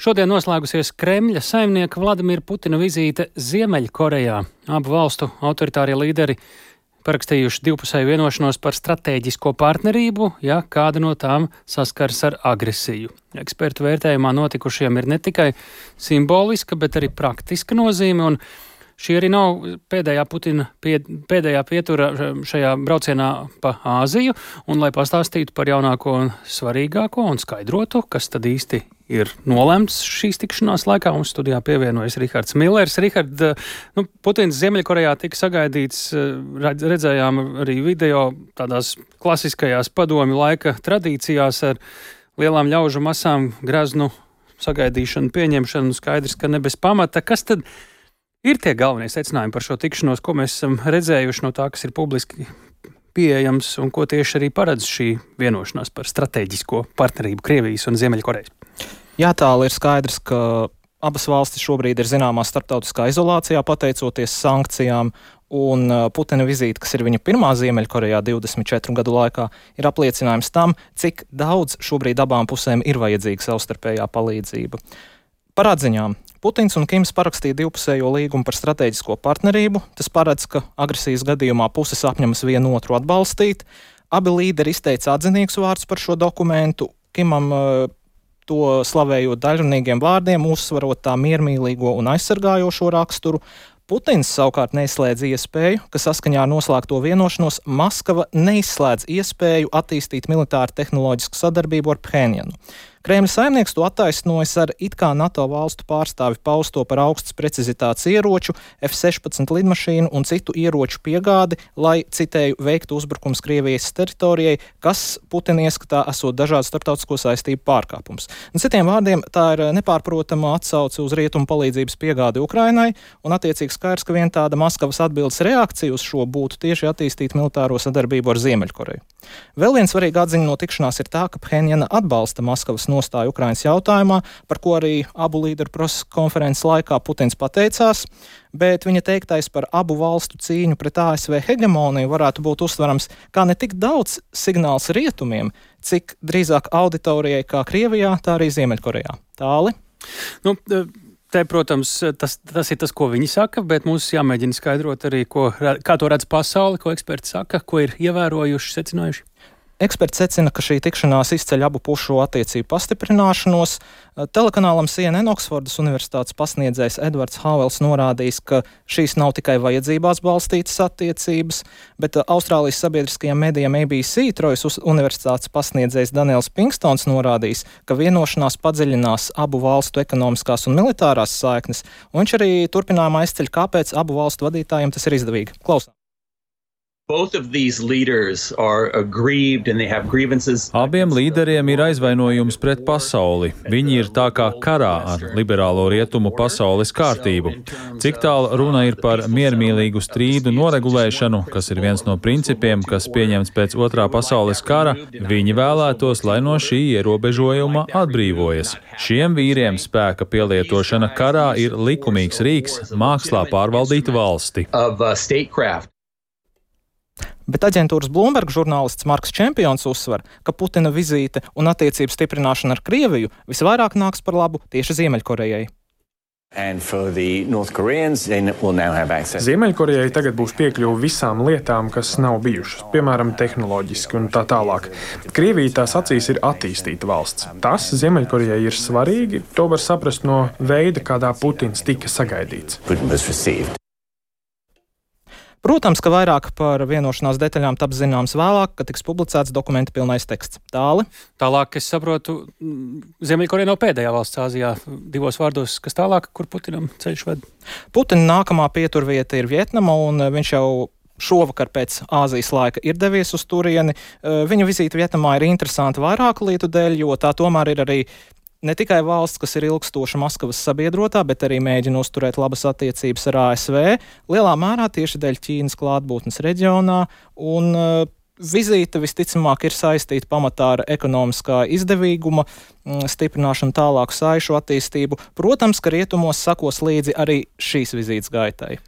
Šodien noslēgusies Kremļa saimnieka Vladimira Putina vizīte Ziemeļkorejā. Abu valstu autoritārie līderi parakstījuši divpusēju vienošanos par stratēģisko partnerību, ja kāda no tām saskars ar agresiju. Ekspertu vērtējumā notikušiem ir ne tikai simboliska, bet arī praktiska nozīme, un šī arī nav pēdējā pietura šajā braucienā pa Āziju, un lai pastāstītu par jaunāko un svarīgāko un skaidrotu, kas tad īsti ir nolemts šīs tikšanās laikā, mums studijā pievienojas Rihards Millers. Rihard, Putins Ziemeļkorejā tika sagaidīts, redzējām arī video tādās klasiskajās padomju laika tradīcijās ar lielām ļaužu masām, greznu sagaidīšanu, pieņemšanu, skaidrs, ka ne bez pamata. Kas tad ir tie galvenie secinājumi par šo tikšanos, ko mēs esam redzējuši no tā, kas ir publiski pieejams un ko tieši arī paredz šī vienošanās par stratēģisko partnerību Krievijas un Ziemeļkorejas? Jā, tāli ir skaidrs, ka abas valstis šobrīd ir zināmā starptautiskā izolācijā pateicoties sankcijām, un Putina vizīte, kas ir viņa pirmā Ziemeļkorejā 24 gadu laikā, ir apliecinājums tam, cik daudz šobrīd abām pusēm ir vajadzīga savstarpējā palīdzība. Par atziņām. Putins un Kims parakstīja divpusējo līgumu par stratēģisko partnerību. Tas paredz, ka agresijas gadījumā puses apņemas vienu otru atbalstīt. Abi līderi izteica atzinīgus vārdus par šo dokumentu. Kimam to slavējot daļrunīgiem vārdiem, uzsvarot tā miermīlīgo un aizsargājošo raksturu. Putins savukārt neizslēdz iespēju, ka saskaņā ar noslēgto vienošanos Maskava neizslēdz iespēju attīstīt militāru tehnoloģisku sadarbību ar Phenjanu. Kremļa saimnieks to attaisnojas ar it kā NATO valstu pārstāvi pausto par augstas precizitātes ieroču, F-16 lidmašīnu un citu ieroču piegādi, lai, citēju, veiktu uzbrukums Krievijas teritorijai, kas Putina ieskatā esot dažādu starptautisko saistību pārkāpums. Un citiem vārdiem, tā ir nepārprotama atsauce uz rietumu palīdzības piegādi Ukrainai, un attiecīgi skaidrs, ka vien tāda Maskavas atbildes reakcija uz šo būtu tieši attīstīt militāro sadarbību ar Ziemeļkoreju. Vēl viens svarīga atziņa no tikšanās ir tā, ka Phenjana atbalsta Maskavas nostāju Ukrainas jautājumā, par ko arī abu līderu konferences laikā Putins pateicās, bet viņa teiktais par abu valstu cīņu pret ASV hegemoniju varētu būt uztverams kā ne tik daudz signāls rietumiem, cik drīzāk auditorijai kā Krievijā, tā arī Ziemeļkorejā. Tāli? Te, protams, tas ir tas, ko viņi saka, bet mums jāmēģina skaidrot arī, kā to redz pasauli, ko eksperti saka, ko ir ievērojuši, secinājuši. Eksperti secina, ka šī tikšanās izceļ abu pušu attiecību pastiprināšanos. Telekanālam CNN Oksfordas universitātes pasniedzējs Edvards Havels norādījis, ka šīs nav tikai vajadzībās balstītas attiecības, bet Austrālijas sabiedriskajiem medijiem ABC Trojas universitātes pasniedzējs Daniels Pinkstons norādījis, ka vienošanās padziļinās abu valstu ekonomiskās un militārās saiknes, un viņš arī turpinājumā izceļ, kāpēc abu valstu vadītājiem tas ir izdevīgi. Klausām. Abiem līderiem ir aizvainojums pret pasauli. Viņi ir tā kā karā ar liberālo rietumu pasaules kārtību. Cik tālu runa ir par miermīlīgu strīdu noregulēšanu, kas ir viens no principiem, kas pieņemts pēc Otrā pasaules kara, viņi vēlētos, lai no šī ierobežojuma atbrīvojas. Šiem vīriem spēka pielietošana karā ir likumīgs rīks mākslā pārvaldīt valsti. Bet aģentūras Bloomberg žurnālists Marks Čempions uzsver, ka Putina vizīte un attiecību stiprināšana ar Krieviju visvairāk nāks par labu tieši Ziemeļkorejai. Ziemeļkorejai tagad būs piekļuve visām lietām, kas nav bijušas, piemēram, tehnoloģiski un tā tālāk. Krievija tās acīs ir attīstīta valsts. Tas Ziemeļkorejai ir svarīgi, to var saprast no veida, kādā Putins tika sagaidīts. Protams, ka vairāk par vienošanās detaļām taps zināms vēlāk, kad tiks publicēts dokumenta pilnais teksts. Tāli? Tālāk, es saprotu, Ziemeļkoreja nav pēdējā valsts Āzijā. Divos vārdos, kas tālāk, kur Putinam ceļš ved? Putina nākamā pieturvieta ir Vietnama, un viņš jau šovakar pēc Āzijas laika ir devies uz turieni. Viņa vizīte Vietnamā ir interesanta vairāku lietu dēļ, jo tā tomēr ir arī ne tikai valsts, kas ir ilgstoša Maskavas sabiedrotā, bet arī mēģina uzturēt labas attiecības ar ASV, lielā mērā tieši dēļ Ķīnas klātbūtnes reģionā, un vizīte visticamāk ir saistīta pamatā ar ekonomiskā izdevīguma stiprināšanu, tālāku saišu attīstību. Protams, ka rietumos sakos līdzi arī šīs vizītes gaitai.